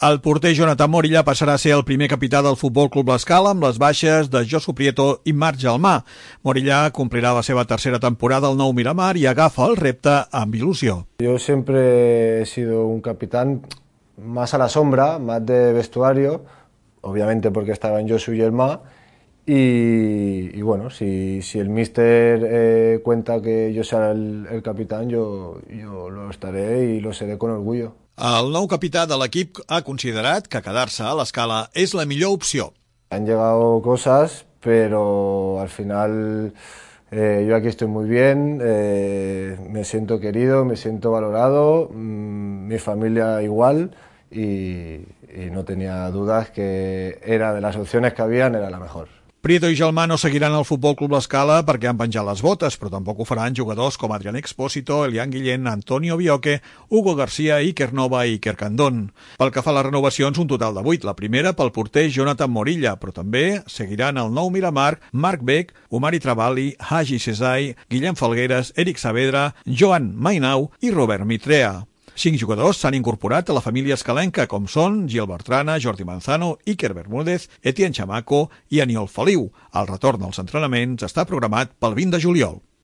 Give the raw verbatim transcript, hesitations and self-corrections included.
El porter Jonathan Morilla passarà a ser el primer capità del Futbol Club L'Escala amb les baixes de Josu Prieto i Marc Gelmà. Morilla complirà la seva tercera temporada al Nou Miramar i agafa el repte amb il·lusió. Yo siempre he sido un capitán más a la sombra, más de vestuario, obviamente porque estaba en Josu y Gelmà. Y, y bueno, si, si el míster eh, cuenta que yo sea el, el capitán, yo, yo lo estaré y lo seré con orgullo. El nou capità de l'equip ha considerat que quedar-se a l'Escala és la millor opció. Han llegado cosas, pero al final eh, yo aquí estoy muy bien, eh, me siento querido, me siento valorado, mmm, mi familia igual y, y no tenía dudas que era de las opciones que habían, era la mejor. Prieto i Gelmà no seguiran al Futbol Club L'Escala perquè han penjat les botes, però tampoc ho faran jugadors com Adrián Expósito, Elian Guillén, Antonio Bioque, Hugo García, Iker Nova i Iker Candón. Pel que fa a les renovacions, un total de vuit. La primera pel porter Jonathan Morilla, però també seguiran el Nou Miramar, Marc Beck, Omari Travalli, Hagi Cesai, Guillem Falgueres, Eric Saavedra, Joan Mainau i Robert Mitrea. Cinc jugadors s'han incorporat a la família escalenca, com són Gil Bertrana, Jordi Manzano, Iker Bermúdez, Etienne Chamaco i Aniol Feliu. El retorn als entrenaments està programat pel vint de juliol.